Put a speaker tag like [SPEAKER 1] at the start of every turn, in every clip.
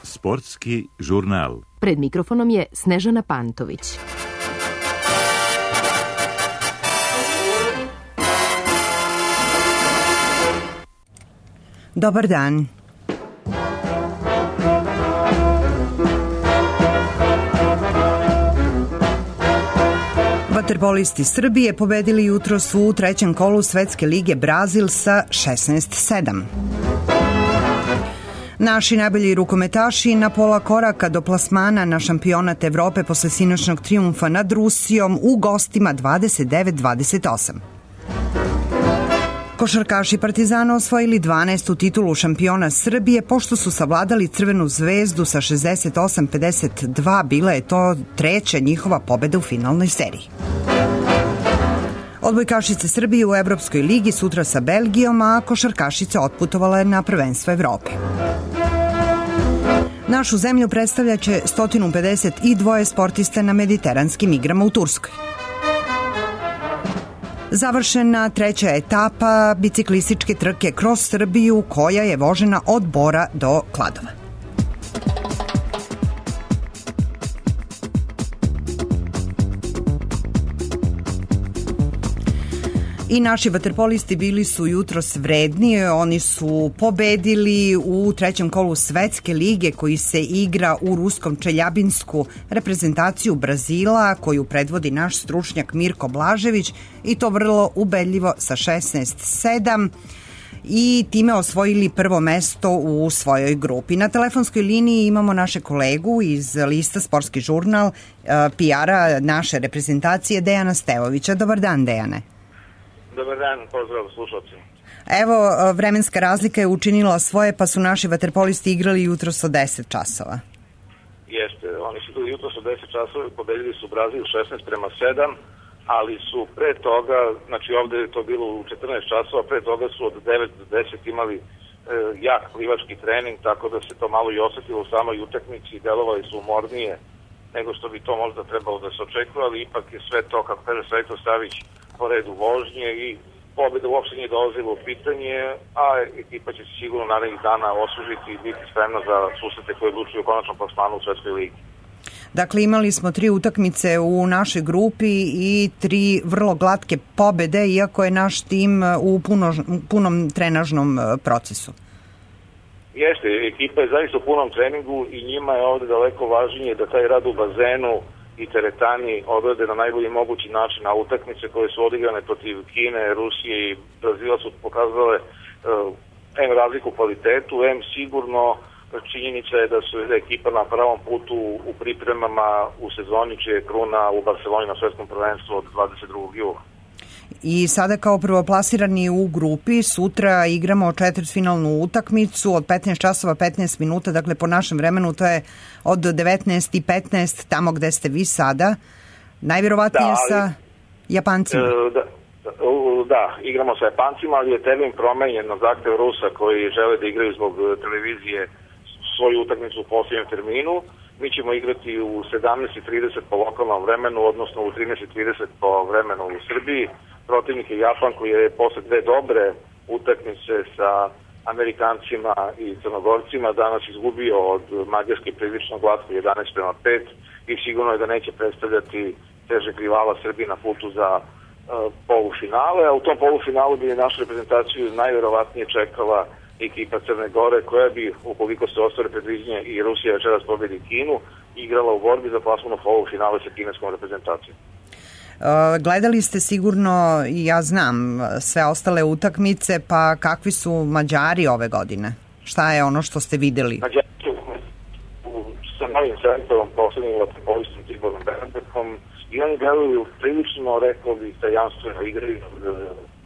[SPEAKER 1] Sportski žurnal.
[SPEAKER 2] Pred mikrofonom je Snežana Pantović.
[SPEAKER 3] Dobar dan. Vaterpolisti Srbije pobedili jutros u trećem kolu Svetske lige Brazil sa 16-7. Naši najbolji rukometaši na pola koraka do plasmana na šampionat Evrope posle sinoćnog trijumfa nad Rusijom u gostima 29-28. Košarkaši Partizana osvojili 12. titulu šampiona Srbije pošto su savladali Crvenu zvezdu sa 68-52, bila je to treća njihova pobeda u finalnoj seriji. Odbojkašice Srbije u Evropskoj ligi sutra sa Belgijom, a košarkašice otputovale na prvenstvo Evrope. Našu zemlju predstavljaće 152 sportista na mediteranskim igrama u Turskoj. Završena treća etapa biciklističke trke kroz Srbiju koja je vožena od Bora do Kladova. I naši vaterpolisti bili su jutros vredni, oni su pobedili u trećem kolu Svetske lige koji se igra u ruskom Čeljabinsku reprezentaciju Brazila koju predvodi naš stručnjak Mirko Blažević i to vrlo ubedljivo sa 16-7 i time osvojili prvo mesto u svojoj grupi. Na telefonskoj liniji imamo naše kolegu iz lista Sportski žurnal, PR-a naše reprezentacije Dejana Stevovića. Dobar dan, Dejane.
[SPEAKER 4] Dobar dan, pozdrav slušalci.
[SPEAKER 3] Evo, vremenska razlika je učinila svoje, pa su naši vaterpolisti igrali jutros od 10 časova.
[SPEAKER 4] Jeste, oni su igrali jutros od 10 časova i pobedili su Brazil 16-7, ali su pre toga, znači ovde je to bilo u 14 časova, pre toga su od 9 do 10 imali jak plivački trening, tako da se to malo i osetilo u samoj utakmici, delovali su umornije nego što bi to možda trebalo da se očekuje, ali ipak je sve to, kako kaže Srečko Savić, po redu vožnje i pobjeda uopšte nije dolazila u pitanje, a ekipa će se sigurno narednih dana osvežiti i biti spremna za susrete koje odlučuju o konačnom plasmanu u Svetskoj ligi.
[SPEAKER 3] Dakle, imali smo 3 utakmice u našoj grupi i 3 vrlo glatke pobede, iako je naš tim u punom trenažnom procesu.
[SPEAKER 4] Jeste, ekipa je zaista u punom treningu i njima je ovde daleko važnije da taj rad u bazenu i teretani odrade na najbolji mogući način, a utakmice koje su odigrane protiv Kine, Rusije i Brazila su pokazale razliku u kvalitetu, sigurno činjenica je da su ekipa na pravom putu u pripremama u sezoni čije je kruna u Barceloni na svetskom prvenstvu od 22. jula.
[SPEAKER 3] I sada kao prvoplasirani u grupi sutra igramo četvrtfinalnu utakmicu od 15 časova 15 minuta, dakle po našem vremenu to je od 19:15 tamo gde ste vi sada, najvjerovatnije sa Japancima.
[SPEAKER 4] Da, igramo sa Japancima, ali je termin promenjen na zahtev Rusa koji žele da igraju zbog televizije svoju utakmicu u posljednjem terminu. Mi ćemo igrati u 17:30 po lokalnom vremenu, odnosno u 13:30 po vremenu u Srbiji. Protivnik je Japan koji je posle 2 dobre utakmice sa Amerikancima i Crnogorcima danas izgubio od Mađarske prilično glatko 11-5 i sigurno je da neće predstavljati težeg rivala Srbije na putu za polufinale, a u tom polufinalu bi našu reprezentaciju najverovatnije čekala ekipa Crne Gore koja bi, ukoliko se ostvare predviđenje i Rusija večeras pobedi Kinu, igrala u borbi za plasman u polufinale sa kineskom reprezentacijom.
[SPEAKER 3] Gledali ste sigurno, i ja znam, sve ostale utakmice, pa kakvi su Mađari ove godine? Šta je ono što ste videli?
[SPEAKER 4] Mađari su sa novim selektorom, poslednjim vaterpolistom Tiborom Bernardekom, i oni deluju prilično, rekao bih, tajanstveno igraju od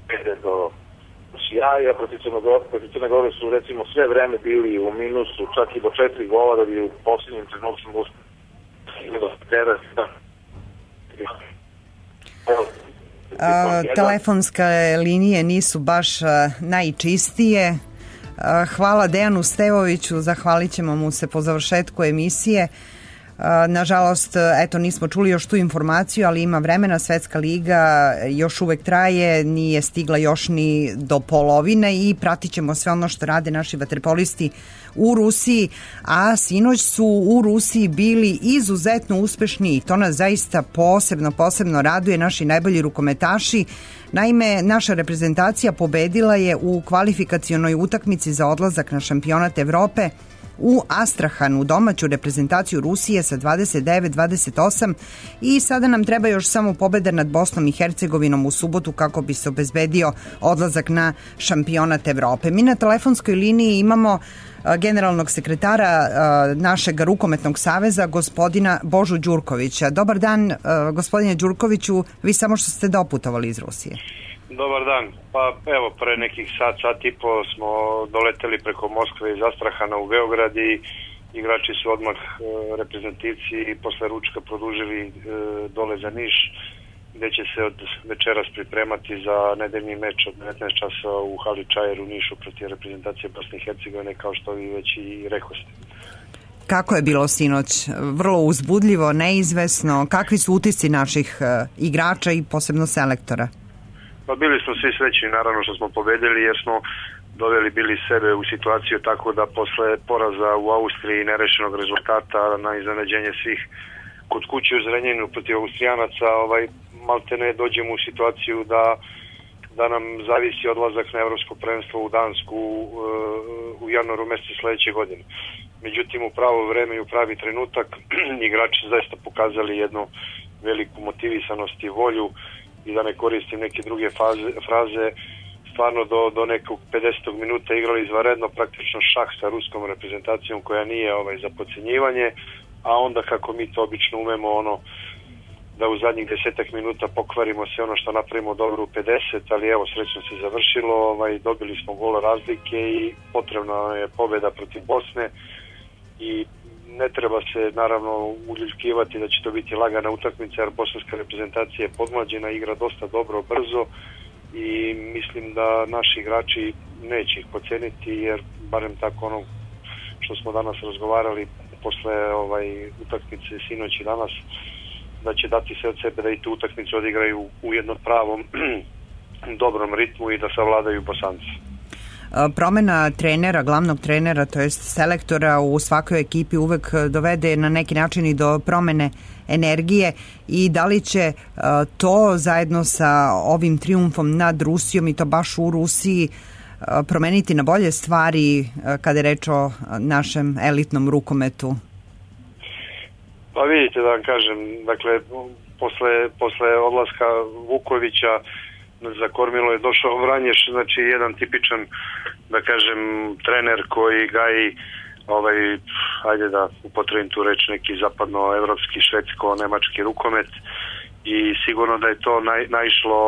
[SPEAKER 4] pede do sjaja. Protiv Crne Gore su recimo sve vreme bili u minusu, čak i do 4 gola da bi u posljednjim trenutkom uspeli do terasa.
[SPEAKER 3] Telefonske linije nisu baš najčistije. Hvala Dejanu Stevoviću, zahvalit ćemo mu se po završetku emisije. Nažalost, eto, nismo čuli još tu informaciju, ali ima vremena, Svetska liga još uvek traje, nije stigla još ni do polovine i pratit ćemo sve ono što rade naši vaterpolisti u Rusiji, a sinoć su u Rusiji bili izuzetno uspešni i to nas zaista posebno raduje, naši najbolji rukometaši. Naime, naša reprezentacija pobedila je u kvalifikacionoj utakmici za odlazak na šampionat Evrope u Astrahanu, domaću reprezentaciju Rusije sa 29-28 i sada nam treba još samo pobeda nad Bosnom i Hercegovinom u subotu kako bi se obezbedio odlazak na šampionat Evrope. Mi na telefonskoj liniji imamo generalnog sekretara našeg rukometnog saveza, gospodina Božu Đurkovića. Dobar dan, gospodine Đurkoviću, vi samo što ste doputovali iz Rusije.
[SPEAKER 5] Dobar dan. Pa evo, pre nekih sat i po smo doleteli preko Moskve iz Astrahana u Beograd i igrači su odmah reprezentativci i posle ručka produžili dole za Niš, gde će se od večeras pripremati za nedeljni meč od 19 časova u hali Čajer u Nišu protiv reprezentacije Bosne i Hercegovine, kao što vi već i rekoste.
[SPEAKER 3] Kako je bilo sinoć? Vrlo uzbudljivo, neizvesno. Kakvi su utisci naših igrača i posebno selektora?
[SPEAKER 5] Pa bili smo svi srećni, naravno što smo pobedili, jer smo doveli bili sebe u situaciju tako da posle poraza u Austriji i nerešenog rezultata na iznenađenje svih kod kuće u Zrenjaninu protiv Austrijanaca, maltene dođemo u situaciju da nam zavisi odlazak na evropsko prvenstvo u Dansku u januaru mesecu sledeće godine. Međutim, u pravo vreme i u pravi trenutak igrači su zaista pokazali jednu veliku motivisanost i volju, i da ne koristim neke druge fraze, stvarno do nekog 50. minuta igrali izvanredno, praktično šah sa ruskom reprezentacijom koja nije za podcenjivanje, a onda kako mi to obično umemo, da u zadnjih 10 minuta pokvarimo sve ono što napravimo dobro u 50, ali evo, srećno se završilo, dobili smo gol razlike i potrebna je pobeda protiv Bosne i ne treba se naravno uljuljkivati da će to biti lagana utakmica, jer bosanska reprezentacija je podmlađena, igra dosta dobro, brzo i mislim da naši igrači neće ih poceniti, jer barem tako ono što smo danas razgovarali posle utakmice sinoć i danas, da će dati sve od sebe da i tu utakmicu odigraju u jednom pravom dobrom ritmu i da savladaju Bosanci.
[SPEAKER 3] Promena trenera, glavnog trenera, to jest selektora u svakoj ekipi uvek dovede na neki način i do promene energije i da li će to zajedno sa ovim trijumfom nad Rusijom i to baš u Rusiji promeniti na bolje stvari kada je reč o našem elitnom rukometu?
[SPEAKER 5] Pa vidite, da vam kažem, dakle, posle odlaska Vukovića za kormilo je došao Vranješ, znači jedan tipičan, da kažem, trener koji gaji ajde da upotrebim tu reč, neki zapadnoevropski, švedsko-nemački rukomet i sigurno da je to naišlo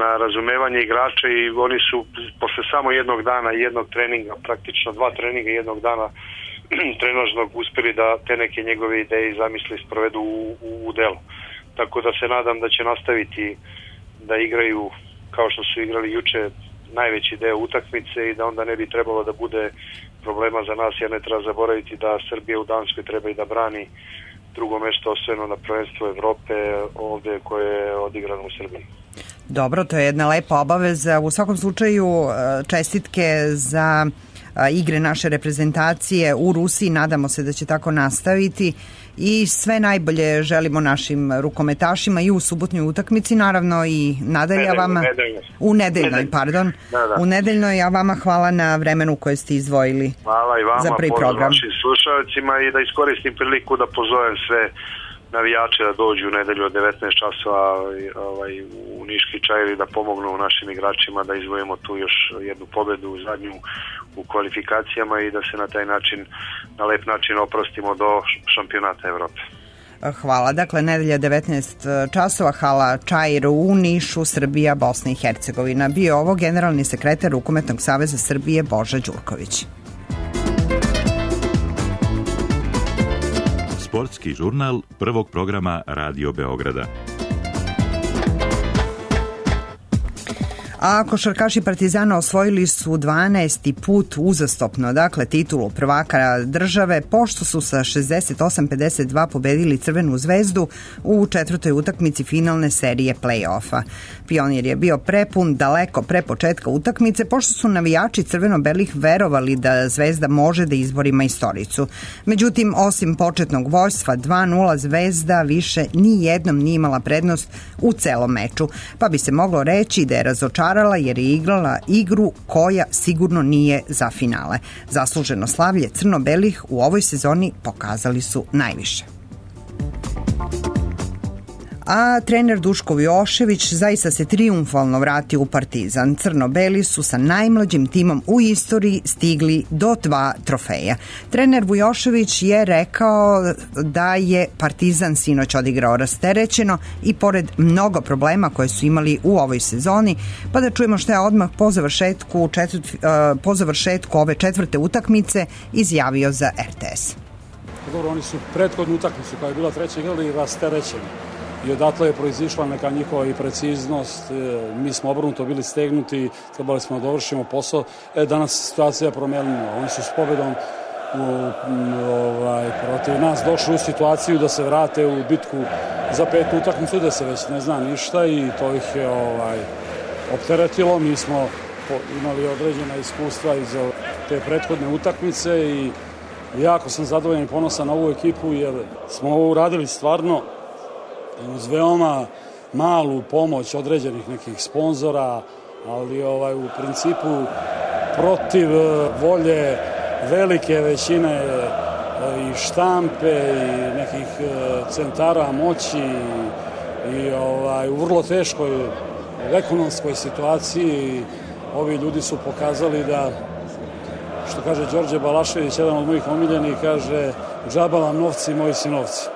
[SPEAKER 5] na razumevanje igrača i oni su posle samo jednog dana i jednog treninga, praktično 2 treninga jednog dana trenažnog, uspeli da te neke njegove ideje i zamisli sprovedu u delo. Tako da se nadam da će nastaviti da igraju kao što su igrali juče najveći deo utakmice i da onda ne bi trebalo da bude problema za nas, jer ne treba zaboraviti da Srbija u Danskoj treba i da brani drugo mesto osvojeno na prvenstvu Evrope ovde koje je odigrano u Srbiji.
[SPEAKER 3] Dobro, to je jedna lepa obaveza. U svakom slučaju čestitke za igre naše reprezentacije u Rusiji, nadamo se da će tako nastaviti i sve najbolje želimo našim rukometašima i u subotnoj utakmici, naravno i u nedeljnoj, a vama hvala na vremenu koje ste izdvojili.
[SPEAKER 5] Hvala i vama,
[SPEAKER 3] za prvi program.
[SPEAKER 5] Vašim slušalcima i da iskoristim priliku da pozovem sve navijače da dođu u nedelju od 19 časova u Niški Čajer i da pomognu našim igračima da izvojimo tu još jednu pobedu, zadnju u kvalifikacijama i da se na taj način, na lep način oprostimo do šampionata Evrope.
[SPEAKER 3] Hvala. Dakle, nedelja 19 časova, hala Čajer u Nišu, Srbija, Bosna i Hercegovina. Bio ovo generalni sekretar Rukometnog saveza Srbije Boža Đurković.
[SPEAKER 1] Sportski žurnal prvog programa Radio Beograda.
[SPEAKER 3] A košarkaši Partizana osvojili su 12. put uzastopno, dakle titulu prvaka države, pošto su sa 68-52 pobedili Crvenu zvezdu u četvrtoj utakmici finalne serije play-offa. Pionir je bio prepun daleko pre početka utakmice, pošto su navijači crveno-belih verovali da Zvezda može da izbori majstoricu. Međutim, osim početnog vođstva 2-0, Zvezda više ni jednom nije imala prednost u celom meču, pa bi se moglo reći da je razočarala jer je igrala igru koja sigurno nije za finale. Zasluženo slavlje crno-belih u ovoj sezoni pokazali su najviše. A trener Duško Vujošević zaista se trijumfalno vratio u Partizan. Crno-beli su sa najmlađim timom u istoriji stigli do 2 trofeja. Trener Vujošević je rekao da je Partizan sinoć odigrao rasterećeno i pored mnogo problema koje su imali u ovoj sezoni, pa da čujemo što je odmah po završetku ove četvrte utakmice izjavio za RTS.
[SPEAKER 6] Dobro, oni su prethodnu utakmicu koja je bila treća igrali rasterećeni. I odatle je proizišla neka njihova i preciznost, mi smo obrnuto bili stegnuti, trebali smo da dovršimo posao. Danas situacija je promenila, oni su s pobedom protiv nas došli u situaciju da se vrate u bitku za 5. utakmicu, da se već ne zna ništa i to ih je opteretilo. Mi smo imali određena iskustva iz te prethodne utakmice i jako sam zadovoljan i ponosan na ovu ekipu jer smo ovo uradili stvarno uz veoma malu pomoć određenih nekih sponzora, ali u principu protiv volje velike većine i štampe i nekih centara moći i u vrlo teškoj ekonomskoj situaciji ovi ljudi su pokazali da, što kaže Đorđe Balašević, jedan od mojih omiljenih, kaže džaba vam novci, moji sinovci.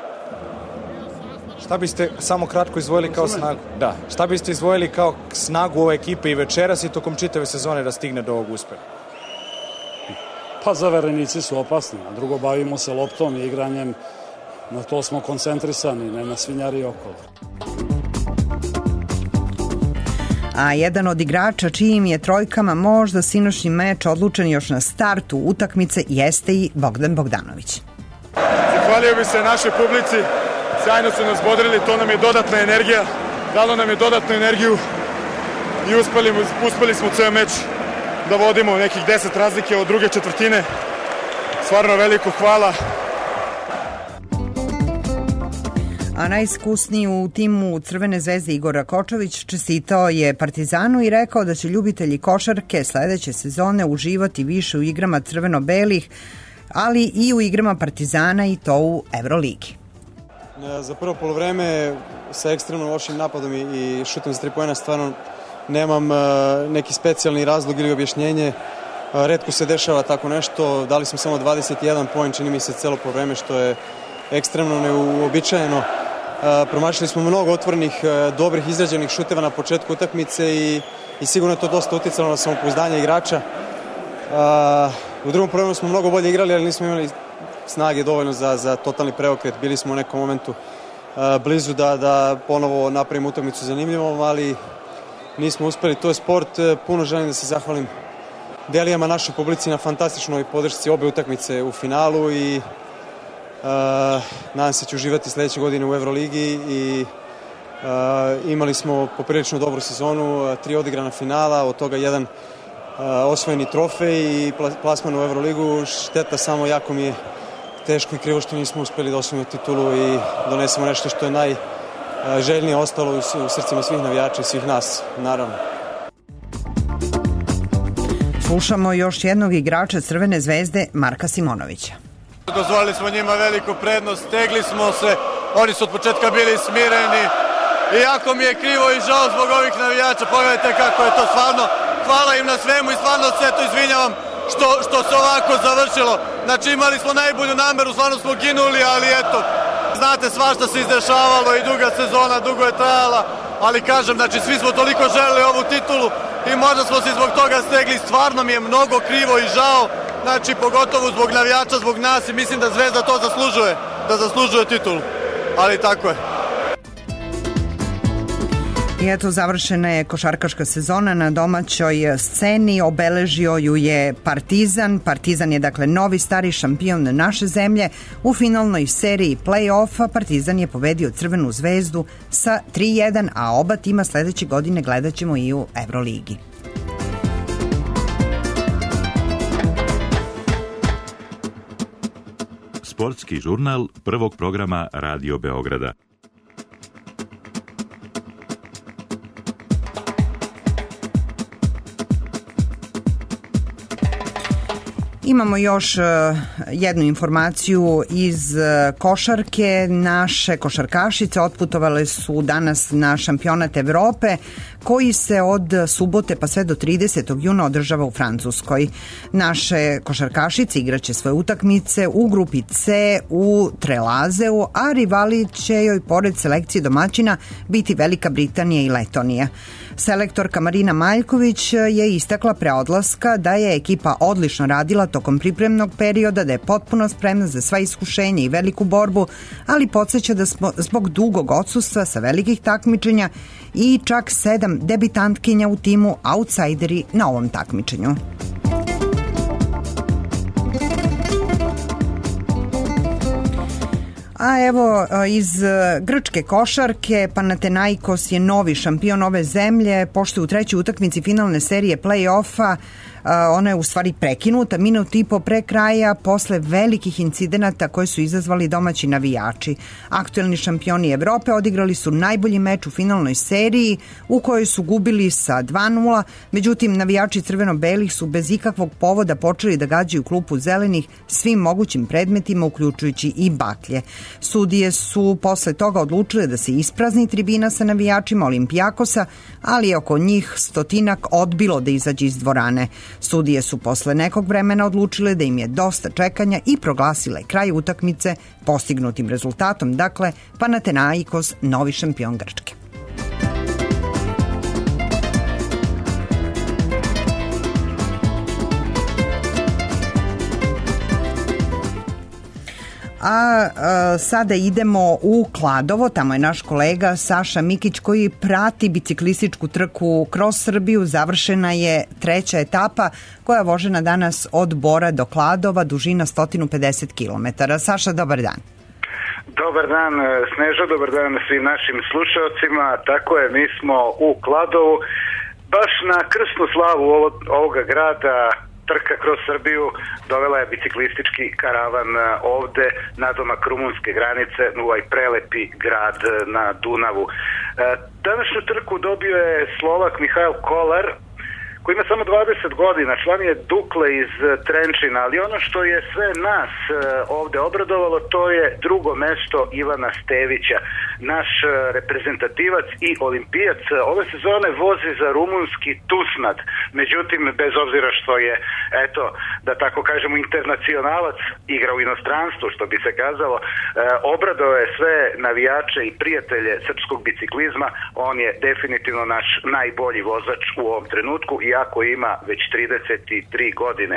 [SPEAKER 7] Šta biste samo kratko izdvojili kao snagu? Da. Šta biste izdvojili kao snagu ove ekipe i večeras i tokom čitave sezone da stigne do ovog uspeha?
[SPEAKER 6] Pa zaverenici su opasni, a drugo bavimo se loptom i igranjem, na to smo koncentrisani, ne na svinjari okolo.
[SPEAKER 3] A jedan od igrača čijim je trojkama možda sinoćni meč odlučen još na startu utakmice jeste i Bogdan Bogdanović.
[SPEAKER 8] Zahvalio bi se našoj publici. Sjajno su nas bodrili, to nam je dodatna energija, dalo nam je dodatnu energiju i uspeli smo ceo meč da vodimo nekih 10 razlike od druge četvrtine. Stvarno veliko hvala.
[SPEAKER 3] A najiskusniji u timu Crvene zvezde Igor Rakočević čestitao je Partizanu i rekao da će ljubitelji košarke sledeće sezone uživati više u igrama crveno-belih, ali i u igrama Partizana i to u Evroligi.
[SPEAKER 9] Za prvo polovreme sa ekstremno lošim napadom i šutom za 3 poena stvarno nemam neki specijalni razlog ili objašnjenje. Retko se dešava tako nešto. Dali smo samo 21 poen, čini mi se celo polovreme, što je ekstremno neuobičajeno. Promašili smo mnogo otvorenih, dobrih izrađenih šuteva na početku utakmice i sigurno je to dosta uticalo na samopouzdanje igrača. U drugom polovremenu smo mnogo bolje igrali, ali nismo imali snage dovoljno za totalni preokret. Bili smo u nekom momentu blizu da ponovo napravimo utakmicu zanimljivom, ali nismo uspeli. To je sport. Puno želim da se zahvalim Delijama, našoj publici na fantastičnoj podršci obe utakmice u finalu i nadam se će uživati sledeće godine u Evroligi i imali smo poprilično dobru sezonu, 3 odigrana finala, od toga 1 osvojeni trofej i plasman u Evroligu. Šteta samo, jako mi je teško i krivo što nismo uspeli da osvojimo titulu i donesemo nešto što je najželjnije ostalo u srcima svih navijača i svih nas, naravno.
[SPEAKER 3] Slušamo još jednog igrača Crvene zvezde, Marka Simonovića.
[SPEAKER 10] Dozvolili smo njima veliku prednost, stegli smo se, oni su od početka bili smireni i jako mi je krivo i žao zbog ovih navijača, pogledajte kako je to stvarno, hvala im na svemu i stvarno se to izvinjavam što se ovako završilo. Znači imali smo najbolju nameru, stvarno smo ginuli, ali eto, znate svašta se izdešavalo i duga sezona, dugo je trajala, ali kažem, znači svi smo toliko želeli ovu titulu i možda smo se zbog toga stegli, stvarno mi je mnogo krivo i žao, znači pogotovo zbog navijača, zbog nas i mislim da Zvezda to zaslužuje, da zaslužuje titulu, ali tako je.
[SPEAKER 3] I eto, završena je košarkaška sezona na domaćoj sceni, obeležio ju je Partizan. Partizan je dakle novi stari šampion naše zemlje. U finalnoj seriji play-offa Partizan je pobedio Crvenu zvezdu sa 3-1, a oba tima sledeće godine gledat ćemo i u Evroligi.
[SPEAKER 1] Sportski žurnal prvog programa Radio Beograda.
[SPEAKER 3] Imamo još jednu informaciju iz košarke. Naše košarkašice otputovale su danas na šampionat Evrope koji se od subote pa sve do 30. juna održava u Francuskoj. Naše košarkašice igraće svoje utakmice u grupi C u Trelazeu, a rivali će joj pored selekcije domaćina biti Velika Britanija i Letonija. Selektorka Marina Maljković je istakla pre odlaska da je ekipa odlično radila tokom pripremnog perioda, da je potpuno spremna za sva iskušenja i veliku borbu, ali podsjeća da smo zbog dugog odsustva sa velikih takmičenja i čak 7 debitantkinja u timu outsideri na ovom takmičenju. A evo, iz grčke košarke Panathinaikos je novi šampion ove zemlje, pošto je u trećoj utakmici finalne serije play-offa ona je u stvari prekinuta minut i po pre kraja posle velikih incidenata koje su izazvali domaći navijači. Aktuelni šampioni Evrope odigrali su najbolji meč u finalnoj seriji u kojoj su gubili sa 2-0, međutim navijači crveno-belih su bez ikakvog povoda počeli da gađaju klupu zelenih svim mogućim predmetima, uključujući i baklje. Sudije su posle toga odlučile da se isprazni tribina sa navijačima Olimpijakosa, ali je oko njih 100 odbilo da izađe iz dvorane. Sudije su posle nekog vremena odlučile da im je dosta čekanja i proglasile kraj utakmice postignutim rezultatom, dakle Panathinaikos novi šampion Grčke. A sada idemo u Kladovo, tamo je naš kolega Saša Mikić koji prati biciklističku trku kroz Srbiju. Završena je treća etapa koja je vožena danas od Bora do Kladova, dužina 150 km. Saša, dobar dan.
[SPEAKER 11] Dobar dan Sneža, dobar dan svim našim slušalcima. Tako je, mi smo u Kladovu, baš na krsnu slavu ovoga grada. Trka kroz Srbiju dovela je biciklistički karavan ovde nadomak rumunske granice u ovaj prelepi grad na Dunavu. Današnju trku dobio je Slovak Mihail Kolar, koji ima samo 20 godina, član je Dukle iz Trenčina, ali ono što je sve nas ovde obradovalo, to je drugo mesto Ivana Stevića, naš reprezentativac i olimpijac. Ove sezone vozi za rumunski Tusnad, međutim, bez obzira što je, eto, da tako kažemo, internacionalac, igra u inostranstvu, što bi se kazalo, obradovao je sve navijače i prijatelje srpskog biciklizma. On je definitivno naš najbolji vozač u ovom trenutku, iako ima već 33 godine.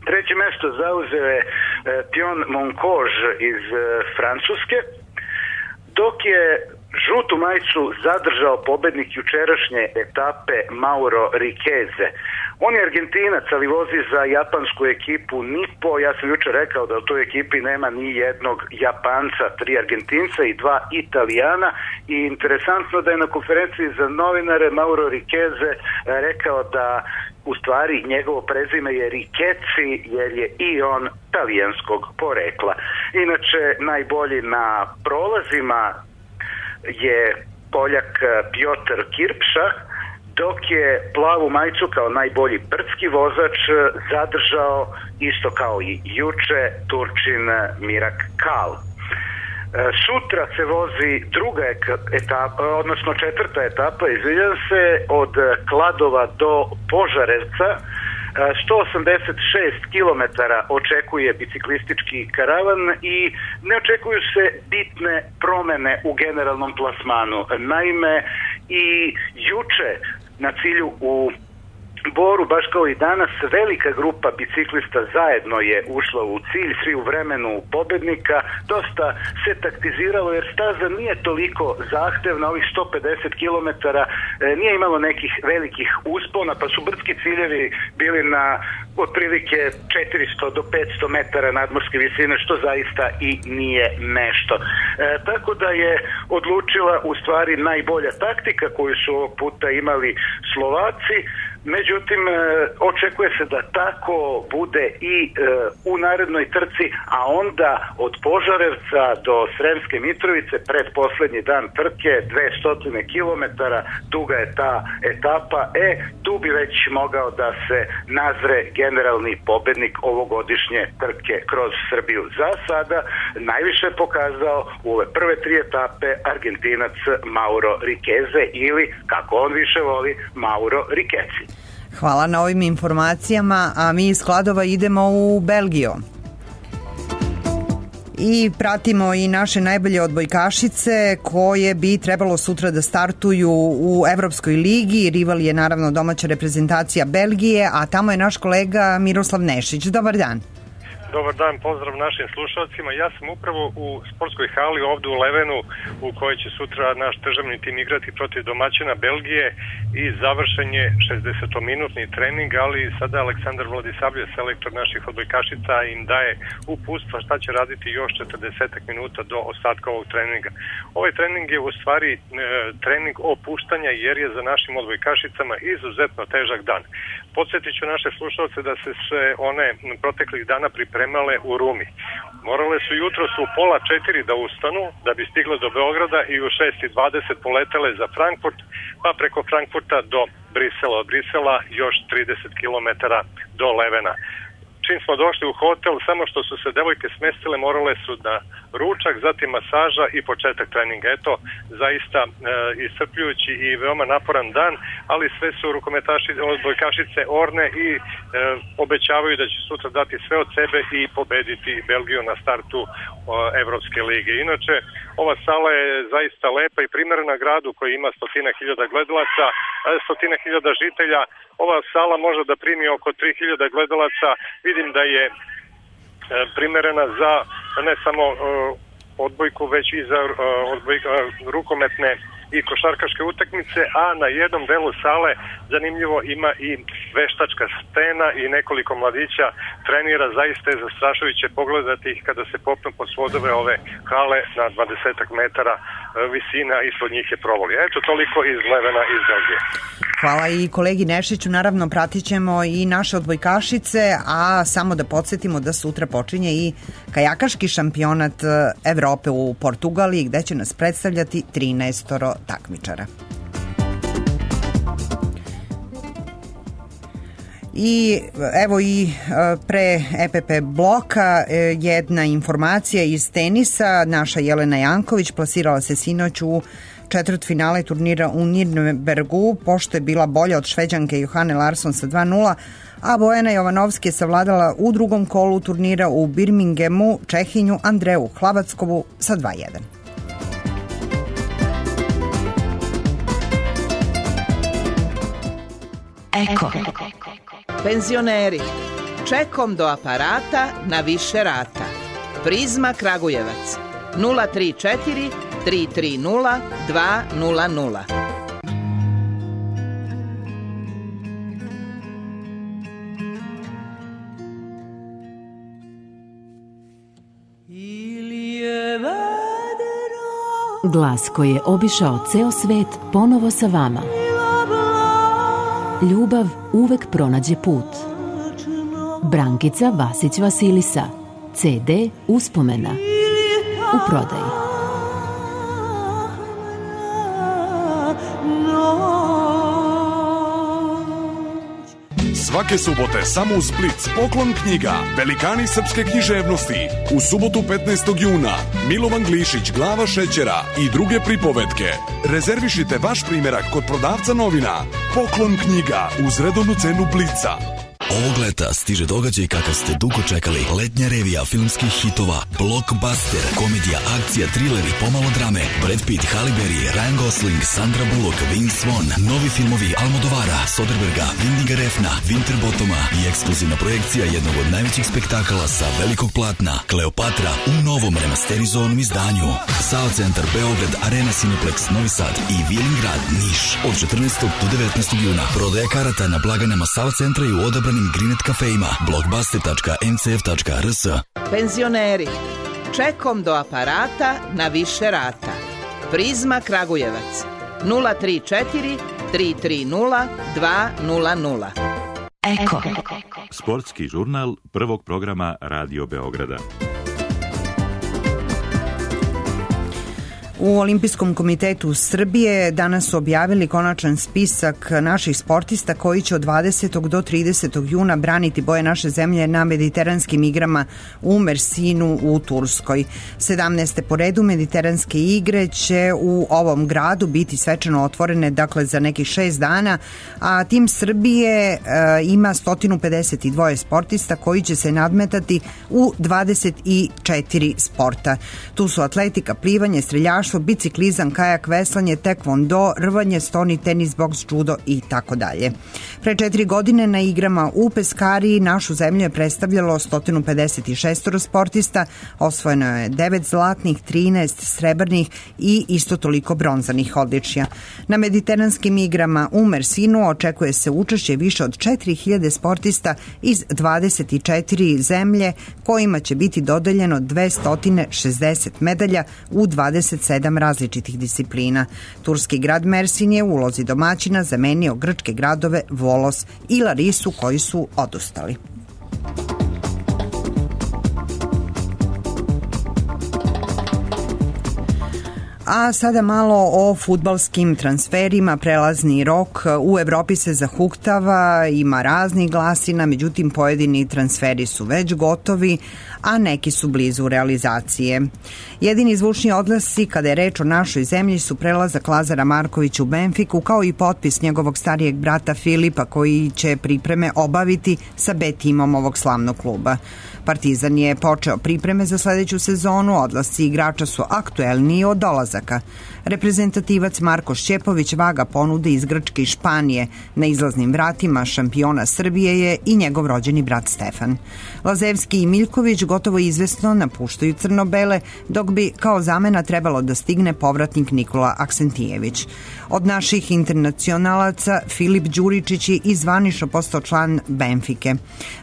[SPEAKER 11] Treće mesto zauzeo je Pion Monkož iz Francuske, dok je žutu majicu zadržao pobednik jučerašnje etape Mauro Rikeze. On je Argentinac, ali vozi za japansku ekipu Nippo. Ja sam jučer rekao da u toj ekipi nema ni jednog Japanca, 3 Argentinca i 2 Italijana. I interesantno da je na konferenciji za novinare Mauro Rikeze rekao da u stvari njegovo prezime je Rikeci, jer je i on talijanskog porekla. Inače, najbolji na prolazima je Poljak Piotr Kirpša, dok je plavu majicu kao najbolji brdski vozač zadržao, isto kao i juče, Turčin Mirak Kal. Sutra se vozi druga etapa, odnosno četvrta etapa, izvinjam se, od Kladova do Požarevca. 186 km očekuje biciklistički karavan i ne očekuju se bitne promene u generalnom plasmanu. Naime, i juče na cilju u Boru, baš kao i danas, velika grupa biciklista zajedno je ušla u cilj, svi u vremenu pobednika. Dosta se taktiziralo jer staza nije toliko zahtevna, ovih 150 km nije imalo nekih velikih uspona, pa su brdski ciljevi bili na otprilike 400 do 500 metara nadmorske visine, što zaista i nije nešto. Tako da je odlučila u stvari najbolja taktika koju su ovog puta imali Slovaci. Međutim, očekuje se da tako bude i u narednoj trci, a onda od Požarevca do Sremske Mitrovice, pred poslednji dan trke, 200 km duga je ta etapa, tu bi već mogao da se nazre generalni pobednik ovogodišnje trke kroz Srbiju. Za sada najviše pokazao u ove prve 3 etape Argentinac Mauro Rikeze ili, kako on više voli, Mauro Rikeci.
[SPEAKER 3] Hvala na ovim informacijama, a mi iz Kladova idemo u Belgiju. I pratimo i naše najbolje odbojkašice koje bi trebalo sutra da startuju u Evropskoj ligi. Rival je naravno domaća reprezentacija Belgije, a tamo je naš kolega Miroslav Nešić. Dobar dan.
[SPEAKER 12] Dobar dan, pozdrav našim slušalcima. Ja sam upravo u sportskoj hali ovde u Levenu u kojoj će sutra naš državni tim igrati protiv domaćina Belgije i završen je 60-minutni trening, ali sada Aleksandar Vladisavljev, selektor naših odbojkašica, im daje uputstva šta će raditi još 40 minuta do ostatka ovog treninga. Ovaj trening je u stvari trening opuštanja jer je za našim odbojkašicama izuzetno težak dan. Podsjetit ću naše slušalce da se sve one proteklih dana pripremale u Rumi. Morale su jutros u 3:30 da ustanu da bi stigle do Beograda i u 6:20 poletele za Frankfurt, pa preko Frankfurta do Brisela. Od Brisela još 30 km do Levena. Čim smo došli u hotel, samo što su se devojke smestile, morale su da ručak, zatim masaža i početak treninga. Eto, zaista iscrpljujući i veoma naporan dan, ali sve su odbojkašice orne i obećavaju da će sutra dati sve od sebe i pobediti Belgiju na startu Evropske lige. Inače, ova sala je zaista lepa i primerena gradu koji ima 100.000 gledalaca, 100.000 žitelja. Ova sala može da primi oko 3.000 gledalaca. Vidim da je primerena za ne samo odbojku, već i za rukometne i košarkaške utakmice, a na jednom delu sale zanimljivo ima i veštačka stena i nekoliko mladića trenira. Zaista je zastrašujuće pogledati ih kada se popnu pod svodove ove hale na 20 metara visina, ispod njih je provoli. Eto, toliko iz Levena, iz Belgije.
[SPEAKER 3] Hvala i kolegi Nešiću, naravno pratit ćemo i naše odbojkašice, a samo da podsjetimo da sutra počinje i kajakaški šampionat Evrope u Portugaliji, gde će nas predstavljati 13 takmičara. I evo i pre EPP bloka jedna informacija iz tenisa. Naša Jelena Janković plasirala se sinoć u četvrtfinale turnira u Nürnbergu, pošto je bila bolja od Šveđanke Johane Larsson sa 2:0, a Bojana Jovanovski je savladala u drugom kolu turnira u Birminghamu Čehinju Andreju Hlavackovu sa 2:1.
[SPEAKER 13] Eko. Penzioneri, čekom do aparata na više rata. Prizma Kragujevac 034 330 200.
[SPEAKER 2] Glas koji je obišao ceo svet ponovo sa vama. Ljubav uvek pronađe put. Brankica Vasić Vasilisa. CD Uspomena. U prodaji.
[SPEAKER 14] Svake subote samo u Split Poklon knjiga, velikani srpske književnosti. U subotu 15. juna Milovan Glišić, Glava šećera i druge pripovetke. Rezervišite vaš primerak kod prodavca novina. Poklon knjiga uz redovnu cenu Blica.
[SPEAKER 15] Ovog leta stiže događaj kakav ste dugo čekali. Letnja revija filmskih hitova, blockbuster, komedija, akcija, trileri, pomalo drame, Brad Pitt, Halle Berry, Ryan Gosling, Sandra Bullock, Vince Vaughn, novi filmovi Almodovara, Soderberga, Windiga Refna, Winterbottoma i ekskluzivna projekcija jednog od najvećih spektakala sa velikog platna, Kleopatra, u novom remasterizovanom izdanju. SAO Centar Beograd, Arena Cineplex Novi Sad i Vilingrad Niš od 14. do 19. juna. Prodaja karata na blagajnama SAO Centra i u odabranim Grinet kafejima. blockbuster.ncf.rs.
[SPEAKER 13] Penzioneri, čekom do aparata na više rata. Prizma Kragujevac 034 330 200.
[SPEAKER 2] Eko.
[SPEAKER 1] Sportski žurnal prvog programa Radio Beograda.
[SPEAKER 3] U Olimpijskom komitetu Srbije danas su objavili konačan spisak naših sportista koji će od 20. do 30. juna braniti boje naše zemlje na mediteranskim igrama u Mersinu u Turskoj. 17. po redu mediteranske igre će u ovom gradu biti svečano otvorene, dakle za nekih 6 dana, a tim Srbije ima 152 sportista koji će se nadmetati u 24 sporta. Tu su atletika, plivanje, streljaštvo, biciklizam, kajak, veslanje, tekvondo, rvanje, stoni, tenis, boks, judo i tako dalje. Pre 4 godine na igrama u Peskariji našu zemlju je predstavljalo 156 sportista, osvojeno je 9 zlatnih, 13 srebrnih i isto toliko bronzanih odličja. Na mediteranskim igrama u Mersinu očekuje se učešće više od 4000 sportista iz 24 zemlje kojima će biti dodeljeno 260 medalja u 27 različitih disciplina. Turski grad Mersin je u ulozi domaćina zamenio grčke gradove Volos i Larisu koji su odustali. A sada malo o fudbalskim transferima. Prelazni rok u Evropi se zahuktava, ima raznih glasina, međutim pojedini transferi su već gotovi, a neki su blizu realizacije. Jedini zvučni odglasi kada je reč o našoj zemlji su prelazak Lazara Markovića u Benfiku, kao i potpis njegovog starijeg brata Filipa koji će pripreme obaviti sa B timom ovog slavnog kluba. Partizan je počeo pripreme za sledeću sezonu, odlasci igrača su aktuelniji od dolazaka. Reprezentativac Marko Šćepović vaga ponude iz Grčke i Španije. Na izlaznim vratima šampiona Srbije je i njegov rođeni brat Stefan. Lazevski i Miljković gotovo izvesno napuštaju crno-bele, dok bi kao zamena trebalo da stigne povratnik Nikola Aksentijević. Od naših internacionalaca Filip Đuričić je i zvanično postao član Benfike.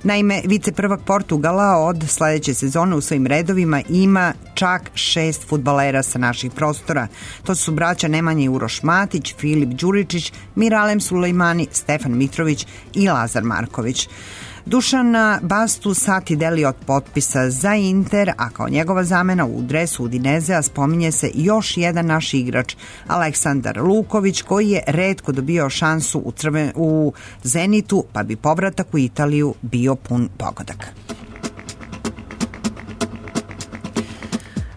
[SPEAKER 3] Naime, viceprvak Portugala od sledeće sezone u svojim redovima ima čak 6 fudbalera sa naših prostora. To su braća Nemanja i Uroš Matić, Filip Đuričić, Miralem Sulejmani, Stefan Mitrović i Lazar Marković. Dušana Bastu sati deli od potpisa za Inter, a kao njegova zamena u dresu Udinezea spominje se još jedan naš igrač, Aleksandar Luković, koji je retko dobio šansu u Zenitu, pa bi povratak u Italiju bio pun pogodak.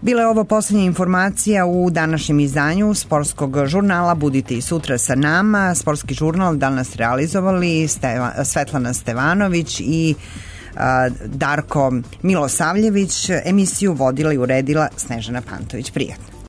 [SPEAKER 3] Bila je ovo posljednja informacija u današnjem izdanju Sportskog žurnala. Budite i sutra sa nama. Sportski žurnal danas realizovali Svetlana Stevanović i Darko Milosavljević. Emisiju vodila i uredila Snežana Pantović. Prijatno.